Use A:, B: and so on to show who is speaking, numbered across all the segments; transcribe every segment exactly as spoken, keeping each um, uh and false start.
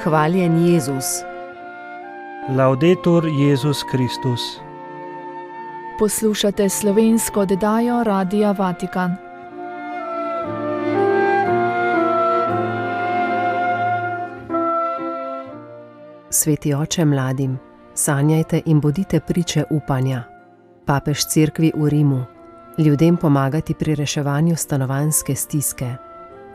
A: Hvaljen Jezus.
B: Laudetur Jezus Kristus.
C: Poslušate slovensko oddajo Radia Vatikan.
A: Sveti oče mladim, sanjajte in bodite priče upanja. Papež cerkvi v Rimu, ljudem pomagati pri reševanju stanovanjske stiske.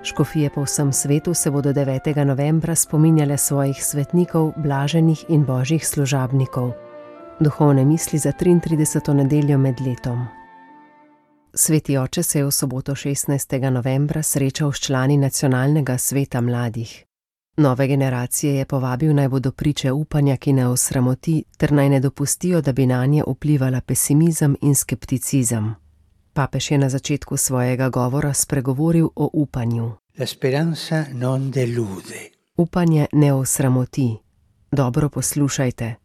A: Škofije po vsem svetu se bodo devetega novembra spominjale svojih svetnikov, blaženih in božjih služabnikov. Duhovne misli za triintrideseto nedeljo med letom. Sveti oče se je v soboto šestnajstega novembra srečal s člani Nacionalnega sveta mladih. Nove generacije je povabil, naj bodo priče upanja, ki ne osramoti, ter naj ne dopustijo, da bi nanje vplivala pesimizem in skepticizem. Papež je na začetku svojega govora spregovoril o upanju.
D: La speranza non delude.
A: Upanje ne osramoti. Dobro poslušajte.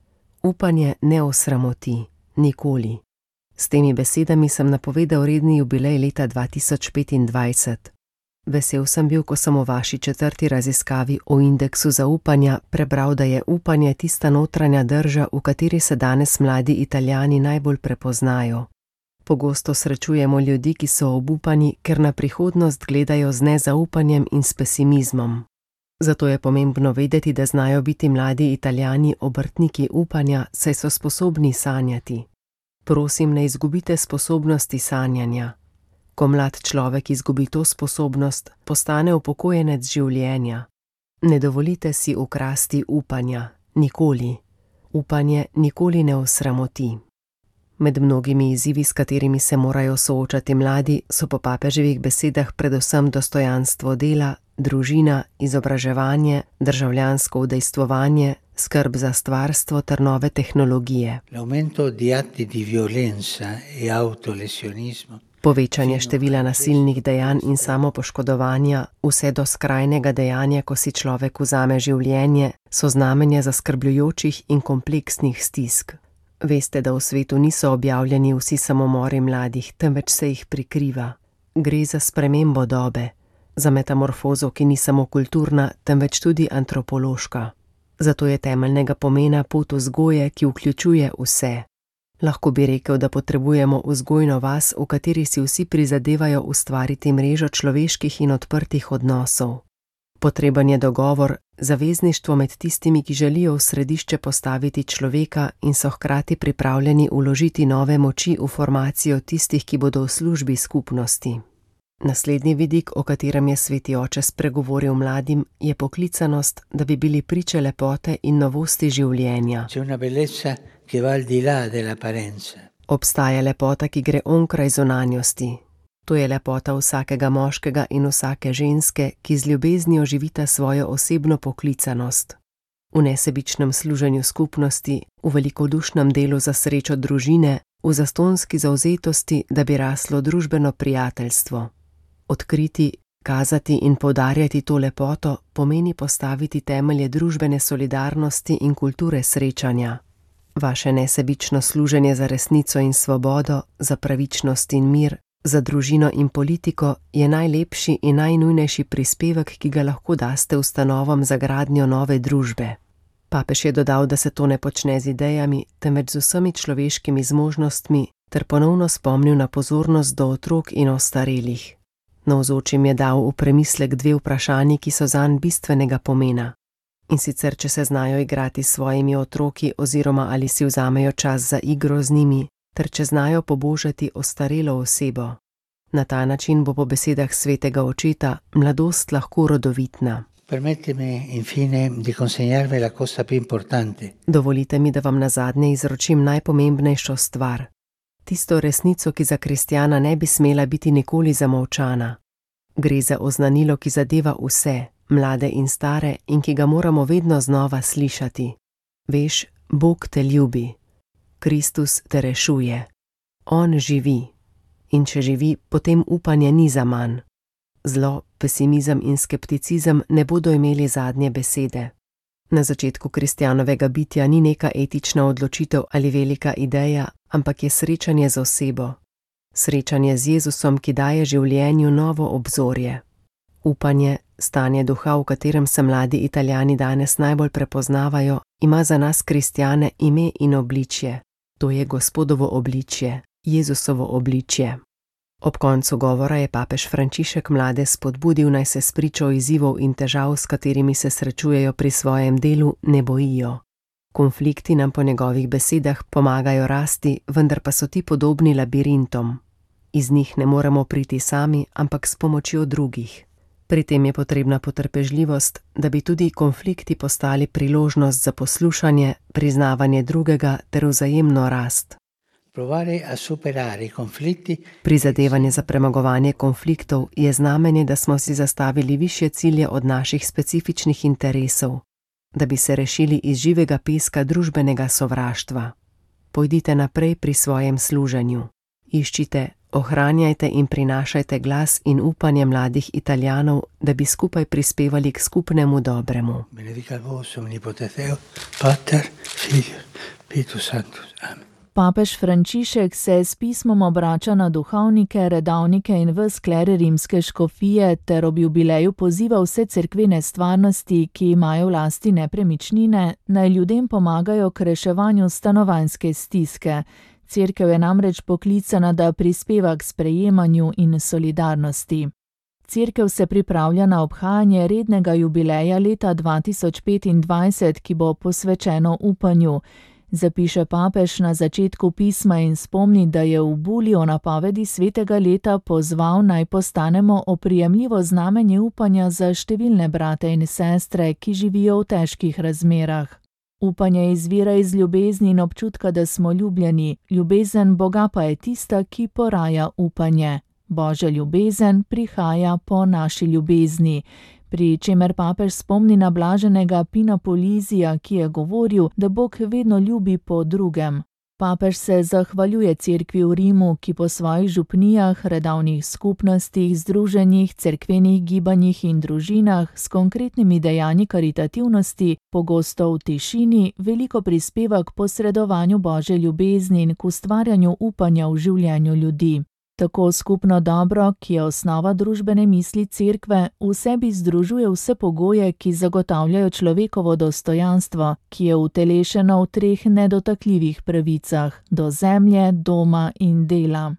A: Upanje ne osramoti. Nikoli. S temi besedami sem napovedal redni jubilej leta dva tisoč petindvajset. Vesel sem bil, ko sem v vaši četrti raziskavi o indeksu zaupanja prebral, da je upanje tista notranja drža, v kateri se danes mladi Italijani najbolj prepoznajo. Pogosto srečujemo ljudi, ki so obupani, ker na prihodnost gledajo z nezaupanjem in s pesimizmom. Zato je pomembno vedeti, da znajo biti mladi Italijani obrtniki upanja, saj so sposobni sanjati. Prosim, ne izgubite sposobnosti sanjanja. Ko mlad človek izgubi to sposobnost, postane upokojenec življenja. Ne dovolite si ukrasti upanja. Nikoli. Upanje nikoli ne osramoti. Med mnogimi izzivi, s katerimi se morajo soočati mladi, so po papeževih besedah predvsem dostojanstvo dela, družina, izobraževanje, državljansko udejstvovanje, skrb za stvarstvo ter nove tehnologije.
D: L'aumento di atti di violenza e autolesionismo.
A: Povečanje števila nasilnih dejanj in samopoškodovanja, vse do skrajnega dejanja, ko si človek vzame življenje, so znamenja zaskrbljujočih in kompleksnih stisk. Veste, da v svetu niso objavljeni vsi samomori mladih, temveč se jih prikriva. Gre za spremembo dobe, za metamorfozo, ki ni samo kulturna, temveč tudi antropološka. Zato je temeljnega pomena pot vzgoje, ki vključuje vse. Lahko bi rekel, da potrebujemo vzgojno vas, v kateri si vsi prizadevajo ustvariti mrežo človeških in odprtih odnosov. Potreben je dogovor, zavezništvo med tistimi, ki želijo v središče postaviti človeka in so hkrati pripravljeni vložiti nove moči v formacijo tistih, ki bodo v službi skupnosti. Naslednji vidik, o katerem je sveti oče spregovoril mladim, je poklicanost, da bi bili priče lepote in novosti življenja.
D: C'è una bellezza che va al di là dell'apparenza.
A: Obstaja lepota, ki gre onkraj zunanjosti. To je lepota vsakega moškega in vsake ženske, ki z ljubeznijo živita svojo osebno poklicanost. V nesebičnem služenju skupnosti, v velikodušnem delu za srečo družine, v zastonski zavzetosti, da bi raslo družbeno prijateljstvo. Odkriti, kazati in poudarjati to lepoto pomeni postaviti temelje družbene solidarnosti in kulture srečanja. Vaše nesebično služenje za resnico in svobodo, za pravičnost in mir, za družino in politiko je najlepši in najnujnejši prispevek, ki ga lahko daste ustanovam za gradnjo nove družbe. Papež je dodal, da se to ne počne z idejami, temveč z vsemi človeškimi zmožnostmi, ter ponovno spomnil na pozornost do otrok in ostarelih. Navzočim je dal v premislek dve vprašanji, ki so zanj bistvenega pomena. In sicer, če se znajo igrati s svojimi otroki oziroma ali si vzamejo čas za igro z njimi, ter če znajo pobožati ostarelo osebo. Na ta način bo po besedah svetega očeta mladost lahko rodovitna.
D: Permettimi infine di consegnarvi la cosa più importante.
A: Dovolite mi, da vam nazadnje izročim najpomembnejšo stvar. Tisto resnico, ki za kristjana ne bi smela biti nikoli zamolčana. Gre za oznanilo, ki zadeva vse, mlade in stare, in ki ga moramo vedno znova slišati. Veš, Bog te ljubi. Kristus te rešuje. On živi. In če živi, potem upanje ni zaman. Zlo, pesimizem in skepticizem ne bodo imeli zadnje besede. Na začetku kristjanovega bitja ni neka etična odločitev ali velika ideja, ampak je srečanje z osebo. Srečanje z Jezusom, ki daje življenju novo obzorje. Upanje, Stanje duha, v katerem se mladi Italijani danes najbolj prepoznavajo, ima za nas kristjane ime in obličje. To je Gospodovo obličje, Jezusovo obličje. Ob koncu govora je papež Frančišek mlade spodbudil, naj se spričo izzivov in težav, s katerimi se srečujejo pri svojem delu, ne bojijo. Konflikti nam po njegovih besedah pomagajo rasti, vendar pa so ti podobni labirintom. Iz njih ne moremo priti sami, ampak s pomočjo drugih. Pri tem je potrebna potrpežljivost, da bi tudi konflikti postali priložnost za poslušanje, priznavanje drugega ter vzajemno rast. Prizadevanje za premagovanje konfliktov je znamenje, da smo si zastavili višje cilje od naših specifičnih interesov, da bi se rešili iz živega peska družbenega sovraštva. Pojdite naprej pri svojem služenju. Iščite, ohranjajte in prinašajte glas in upanje mladih Italijanov, da bi skupaj prispevali k skupnemu dobremu.
D: Benedicat vos omnipotens Deus, Pater, Filius, Spiritus Sanctus. Amen.
C: Papež Frančišek se s pismom obrača na duhovnike, redovnike in ves kler rimske škofije ter ob jubileju poziva vse cerkvene stvarnosti, ki imajo v lasti nepremičnine, naj ljudem pomagajo k reševanju stanovanjske stiske. Cerkev je namreč poklicana, da prispeva k sprejemanju in solidarnosti. Cerkev se pripravlja na obhajanje rednega jubileja leta dva tisoč petindvajset, ki bo posvečeno upanju. Zapiše papež na začetku pisma in spomni, da je v buli o napovedi svetega leta pozval, naj postanemo oprijemljivo znamenje upanja za številne brate in sestre, ki živijo v težkih razmerah. Upanje izvira iz ljubezni in občutka, da smo ljubljeni, ljubezen Boga pa je tista, ki poraja upanje. Božja ljubezen prihaja po naši ljubezni. Pri čemer papež spomni na blaženega Pina Polizija, ki je govoril, da Bog vedno ljubi po drugem. Papež se zahvaljuje cerkvi v Rimu, ki po svojih župnijah, redovnih skupnostih, združenjih, cerkvenih gibanjih in družinah s konkretnimi dejanji karitativnosti, pogosto v tišini, veliko prispeva k posredovanju Božje ljubezni in k ustvarjanju upanja v življenju ljudi. Tako skupno dobro, ki je osnova družbene misli cerkve, v sebi združuje vse pogoje, ki zagotavljajo človekovo dostojanstvo, ki je utelešeno v treh nedotakljivih pravicah: do zemlje, doma in dela.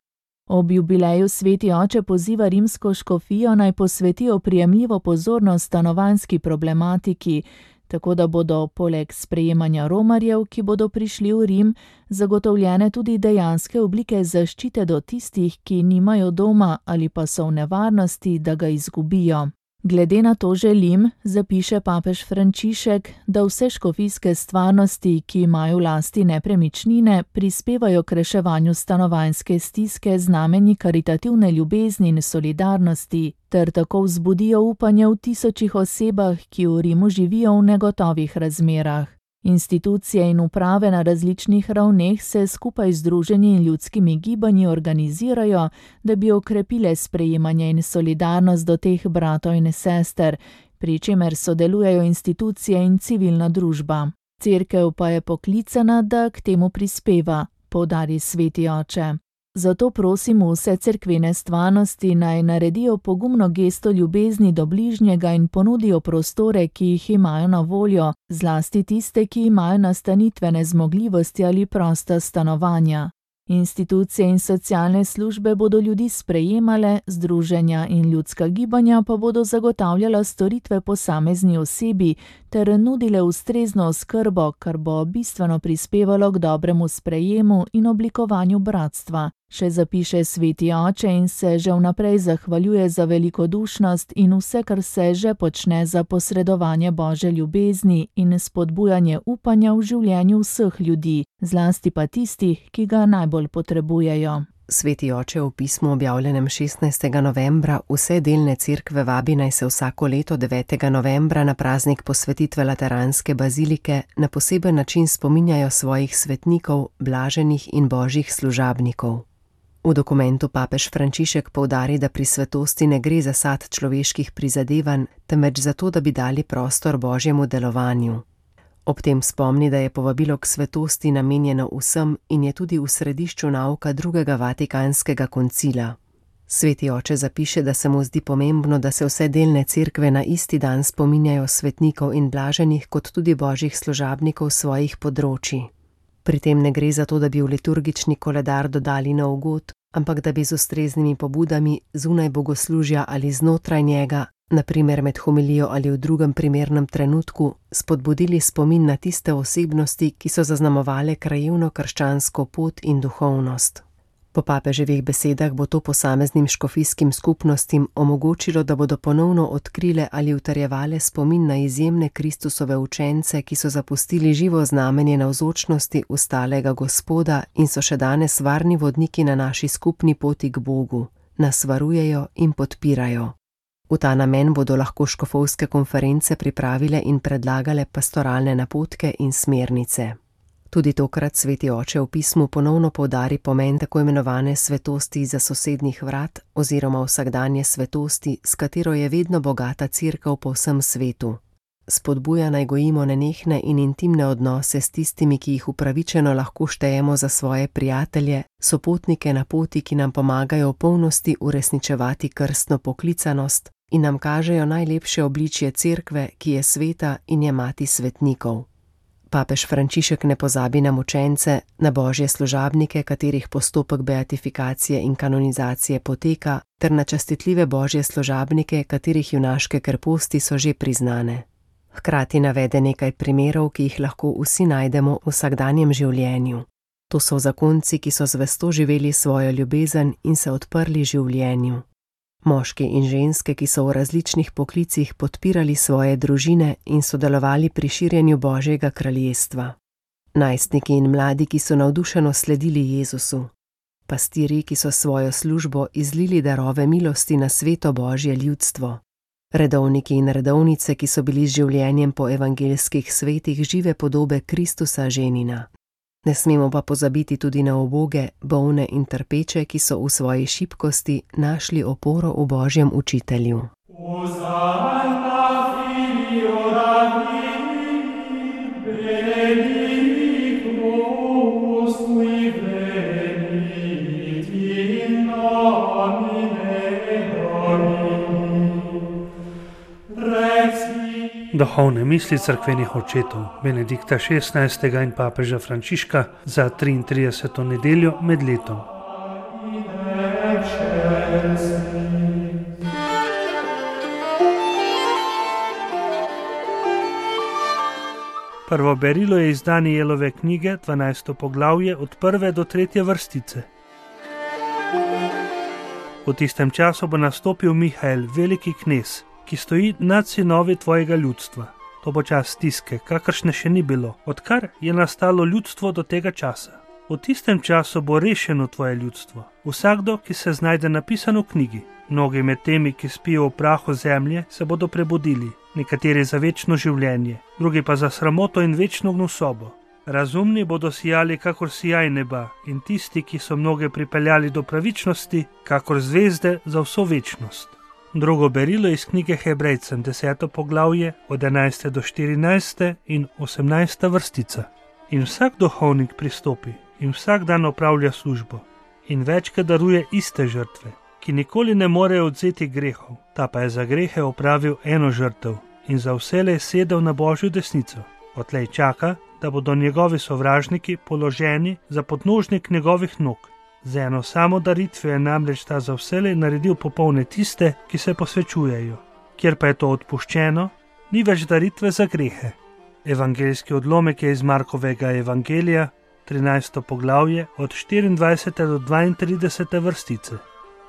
C: Ob jubileju sveti oče poziva rimsko škofijo, naj posveti oprijemljivo pozornost stanovanjski problematiki, tako da bodo poleg sprejemanja romarjev, ki bodo prišli v Rim, zagotovljene tudi dejanske oblike zaščite do tistih, ki nimajo doma ali pa so v nevarnosti, da ga izgubijo. Glede na to želim, zapiše papež Frančišek, da vse škofijske stvarnosti, ki imajo v lasti nepremičnine, prispevajo k reševanju stanovanjske stiske znamenji karitativne ljubezni in solidarnosti, ter tako vzbudijo upanje v tisočih osebah, ki v Rimu živijo v negotovih razmerah. Institucije in uprave na različnih ravneh se skupaj z združenji in ljudskimi gibanji organizirajo, da bi okrepile sprejemanje in solidarnost do teh bratov in sester, pri čemer sodelujejo institucije in civilna družba. Cerkev pa je poklicana, da k temu prispeva, poudari sveti oče. Zato prosim vse cerkvene stvarnosti, naj naredijo pogumno gesto ljubezni do bližnjega in ponudijo prostore, ki jih imajo na voljo, zlasti tiste, ki imajo nastanitvene zmogljivosti ali prosta stanovanja. Institucije in socialne službe bodo ljudi sprejemale, združenja in ljudska gibanja pa bodo zagotavljala storitve posamezni osebi ter nudile ustrezno oskrbo, kar bo bistveno prispevalo k dobremu sprejemu in oblikovanju bratstva. Še zapiše sveti oče in se že vnaprej zahvaljuje za velikodušnost in vse, kar se že počne za posredovanje Božje ljubezni in spodbujanje upanja v življenju vseh ljudi, zlasti pa tistih, ki ga najbolj potrebujejo.
A: Sveti oče v pismu objavljenem šestnajstega novembra vse delne cerkve vabi, naj se vsako leto devetega novembra na praznik posvetitve Lateranske bazilike na poseben način spominjajo svojih svetnikov, blaženih in božjih služabnikov. V dokumentu papež Frančišek poudari, da pri svetosti ne gre za sad človeških prizadevanj, temveč za to, da bi dali prostor božjemu delovanju. Ob tem spomni, da je povabilo k svetosti namenjeno vsem in je tudi v središču nauka drugega Vatikanskega koncila. Sveti oče zapiše, da se mu zdi pomembno, da se vse delne cerkve na isti dan spominjajo svetnikov in blaženih kot tudi božjih služabnikov svojih področij. Pri tem ne gre za to, da bi v liturgični koledar dodali nov god, ampak da bi z ustreznimi pobudami zunaj bogoslužja ali znotraj njega, na primer med homilijo ali v drugem primernem trenutku, spodbudili spomin na tiste osebnosti, ki so zaznamovale krajevno krščansko pot in duhovnost. Po papeževih besedah bo to posameznim škofijskim skupnostim omogočilo, da bodo ponovno odkrile ali utrjevale spomin na izjemne Kristusove učence, ki so zapustili živo znamenje navzočnosti ustalega Gospoda in so še danes varni vodniki na naši skupni poti k Bogu, nas varujejo in podpirajo. V ta namen bodo lahko škofovske konference pripravile in predlagale pastoralne napotke in smernice. Tudi tokrat sveti oče v pismu ponovno poudari pomen tako imenovane svetosti za sosednjih vrat oziroma vsakdanje svetosti, s katero je vedno bogata cerkev po vsem svetu. Spodbuja naj gojimo nenehne in intimne odnose s tistimi, ki jih upravičeno lahko štejemo za svoje prijatelje, sopotnike na poti, ki nam pomagajo v polnosti uresničevati krstno poklicanost in nam kažejo najlepše obličje cerkve, ki je sveta in je mati svetnikov. Papež Frančišek ne pozabi na mučence, na božje služabnike, katerih postopek beatifikacije in kanonizacije poteka, ter na častitljive božje služabnike, katerih junaške krposti so že priznane. Hkrati navede nekaj primerov, ki jih lahko vsi najdemo v vsakdanjem življenju. To so zakonci, ki so zvesto živeli svojo ljubezen in se odprli življenju. Moški in ženske, ki so v različnih poklicih podpirali svoje družine in sodelovali pri širjenju Božjega kraljestva. Najstniki in mladi, ki so navdušeno sledili Jezusu. Pastirji, ki so svojo službo izlili darove milosti na sveto Božje ljudstvo. Redovniki in redovnice, ki so bili z življenjem po evangeljskih svetih žive podobe Kristusa ženina. Ne smemo pa pozabiti tudi na uboge, bolne in trpeče, ki so v svoji šibkosti našli oporo v Božjem učitelju.
B: Duhovne misli cerkvenih očetov Benedikta šestnajstega in papeža Frančiška za triintrideseto nedeljo med letom. Prvo berilo je iz Danijelove knjige, dvanajsto poglavje, od prve do tretje vrstice. V tistem času bo nastopil Mihael, veliki knez, ki stoji nad sinovi tvojega ljudstva. To bo čas stiske, kakršne še ni bilo, odkar je nastalo ljudstvo do tega časa. V tistem času bo rešeno tvoje ljudstvo. Vsakdo, ki se znajde napisan v knjigi. Mnogi med temi, ki spijo v prahu zemlje, se bodo prebudili, nekateri za večno življenje, drugi pa za sramoto in večno gnusobo. Razumni bodo sijali kakor sijaj neba in tisti, ki so mnoge pripeljali do pravičnosti, kakor zvezde za vso večnost. Drugo berilo iz knjige Hebrejcem, deseto poglavje, od enajste do štirinajste in osemnajsta vrstica. In vsak duhovnik pristopi in vsak dan opravlja službo in večkrat daruje iste žrtve, ki nikoli ne morejo odzeti grehov, ta pa je za grehe opravil eno žrtev in za vselej sedel na Božjo desnico. Odtlej čaka, da bodo njegovi sovražniki položeni za podnožnik njegovih nog. Z eno samo daritvijo je namreč ta za vselej naredil popolne tiste, ki se posvečujejo. Kjer pa je to odpuščeno, ni več daritve za grehe. Evangeljski odlomek je iz Markovega evangelija, trinajsto poglavje, od štiriindvajsete do dvaintridesete vrstice.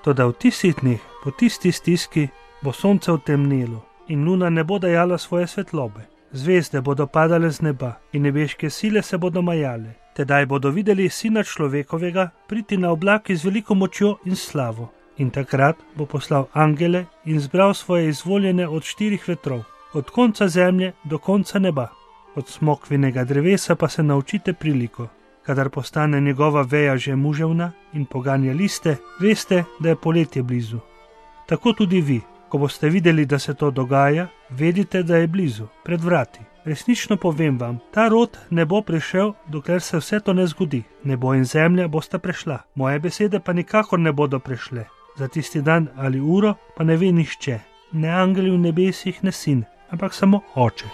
B: Toda v tistih dneh, po tisti stiski, bo sonce vtemnelo in luna ne bo dajala svoje svetlobe. Zvezde bodo padale z neba in nebeške sile se bodo majale. Tedaj bodo videli Sina človekovega priti na oblaki z veliko močjo in slavo. In takrat bo poslal angele in zbral svoje izvoljene od štirih vetrov, od konca zemlje do konca neba. Od smokvinega drevesa pa se naučite priliko. Kadar postane njegova veja že muževna in poganja liste, veste, da je poletje blizu. Tako tudi vi, ko boste videli, da se to dogaja, vedite, da je blizu, pred vrati. Resnično povem vam, ta rod ne bo prišel, dokler se vse to ne zgodi. Nebo in zemlja bosta prešla, moje besede pa nikakor ne bodo prešle. Za tisti dan ali uro pa ne ve nihče, ne angeli v nebesih, ne sin, ampak samo Oče.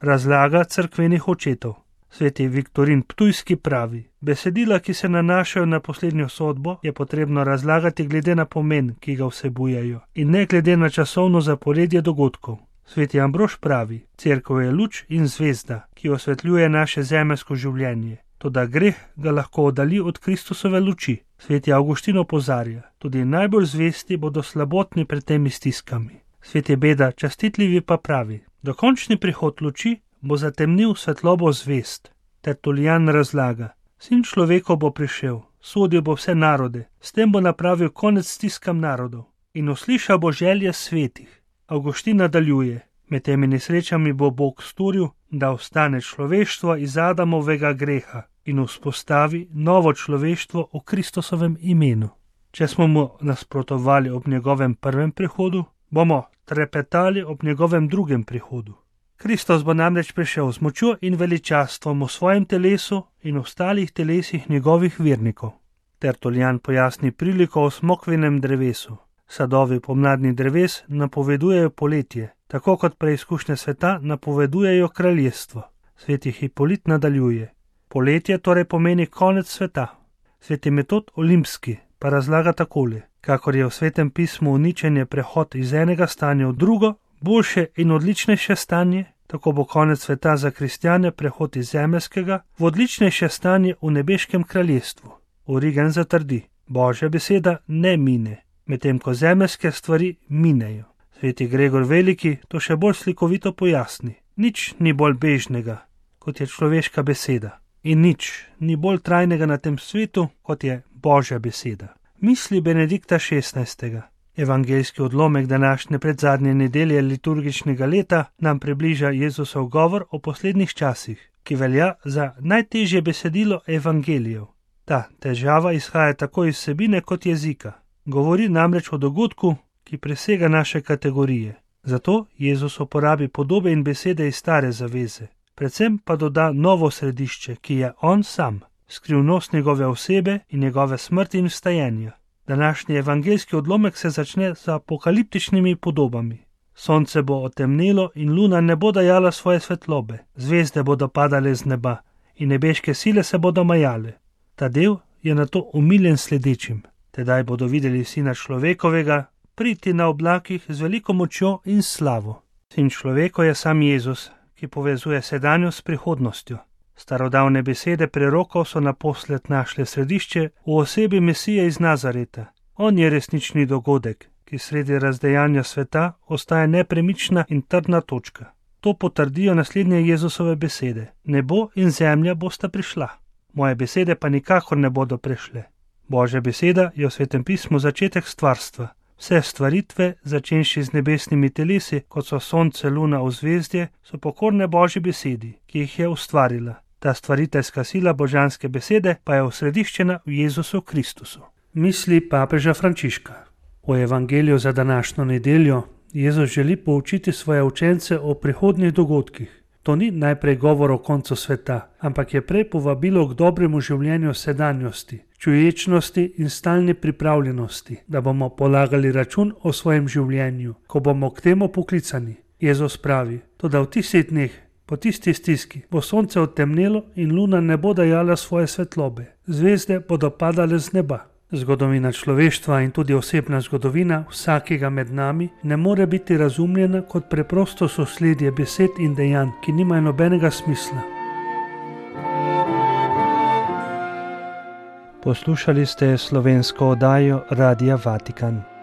B: Razlaga cerkvenih očetov. Sveti Viktorin Ptujski pravi: besedila, ki se nanašajo na poslednjo sodbo, je potrebno razlagati glede na pomen, ki ga vsebujejo, in ne glede na časovno zaporedje dogodkov. Sveti Ambrož pravi: cerkev je luč in zvezda, ki osvetljuje naše zemeljsko življenje. Toda greh ga lahko oddalji od Kristusove luči. Sveti Avguštin opozarja: tudi najbolj zvesti bodo slabotni pred temi stiskami. Sveti Beda Častitljivi pa pravi: dokončni prihod luči bo zatemnil svetlobo zvest. Tertulijan razlaga: sin človekov bo prišel, sodil bo vse narode, s tem bo napravil konec stiskam narodov in uslišal bo želje svetih. Avguštin nadaljuje: med temi nesrečami bo Bog storil, da ostane človeštvo iz Adamovega greha in vzpostavi novo človeštvo v Kristusovem imenu. Če smo mu nasprotovali ob njegovem prvem prihodu, bomo trepetali ob njegovem drugem prihodu. Kristus bo namreč prišel z močjo in veličastvom v svojem telesu in ostalih telesih njegovih vernikov. Tertulijan pojasni priliko o smokvinem drevesu. Sadovi pomladnih dreves napovedujejo poletje, tako kot preizkušnje sveta napovedujejo kraljestvo. Sveti Hipolit nadaljuje: poletje torej pomeni konec sveta. Sveti Metod Olimpski pa razlaga takole: kakor je v Svetem pismu uničenje prehod iz enega stanja v drugo, boljše in odličnejše stanje, tako bo konec sveta za kristjane prehod iz zemeljskega v odličnejše stanje v nebeškem kraljestvu. Origen zatrdi: Božja beseda ne mine, medtem ko zemeljske stvari minejo. Sveti Gregor Veliki to še bolj slikovito pojasni: nič ni bolj bežnega, kot je človeška beseda, in nič ni bolj trajnega na tem svetu, kot je Božja beseda. Misli Benedikta šestnajstega. Evangeljski odlomek današnje predzadnje nedelje liturgičnega leta nam približa Jezusov govor o poslednjih časih, ki velja za najtežje besedilo evangelijev. Ta težava izhaja tako iz vsebine kot jezika. Govori namreč o dogodku, ki presega naše kategorije. Zato Jezus uporabi podobe in besede iz stare zaveze, predvsem pa doda novo središče, ki je on sam, skrivnost njegove osebe in njegove smrti in vstajenja. Današnji evangeljski odlomek se začne z apokaliptičnimi podobami. Sonce bo otemnelo in luna ne bo dajala svoje svetlobe, zvezde bodo padale z neba in nebeške sile se bodo majale. Ta del je nato umiljen sledečim. Tedaj bodo videli Sina človekovega priti na oblakih z veliko močjo in slavo. Sin človeko je sam Jezus, ki povezuje sedanjost s prihodnostjo. Starodavne besede prerokov so naposled našle središče v osebi Mesije iz Nazareta. On je resnični dogodek, ki sredi razdejanja sveta ostaja nepremična in trdna točka. To potrdijo naslednje Jezusove besede: nebo in zemlja bosta prišla, moje besede pa nikakor ne bodo prešle. Božja beseda je v Svetem pismu začetek stvarstva. Vse stvaritve, začenši z nebesnimi telesi, kot so sonce, luna, ozvezdje, so pokorne Božji besedi, ki jih je ustvarila. Ta stvariteljska sila božanske besede pa je osrediščena v Jezusu Kristusu. Misli papeža Frančiška. V evangeliju za današnjo nedeljo Jezus želi poučiti svoje učence o prihodnjih dogodkih. To ni najprej govor o koncu sveta, ampak je prej povabilo k dobremu življenju sedanjosti, čuječnosti in stalni pripravljenosti, da bomo polagali račun o svojem življenju, ko bomo k temu poklicani. Jezus pravi: toda v tistih dneh, po tisti stiski, bo sonce odtemnelo in luna ne bo dajala svoje svetlobe, zvezde bodo padale z neba. Zgodovina človeštva in tudi osebna zgodovina vsakega med nami ne more biti razumljena kot preprosto sosledje besed in dejanj, ki nimajo nobenega smisla. Poslušali ste slovensko oddajo Radia Vatikan.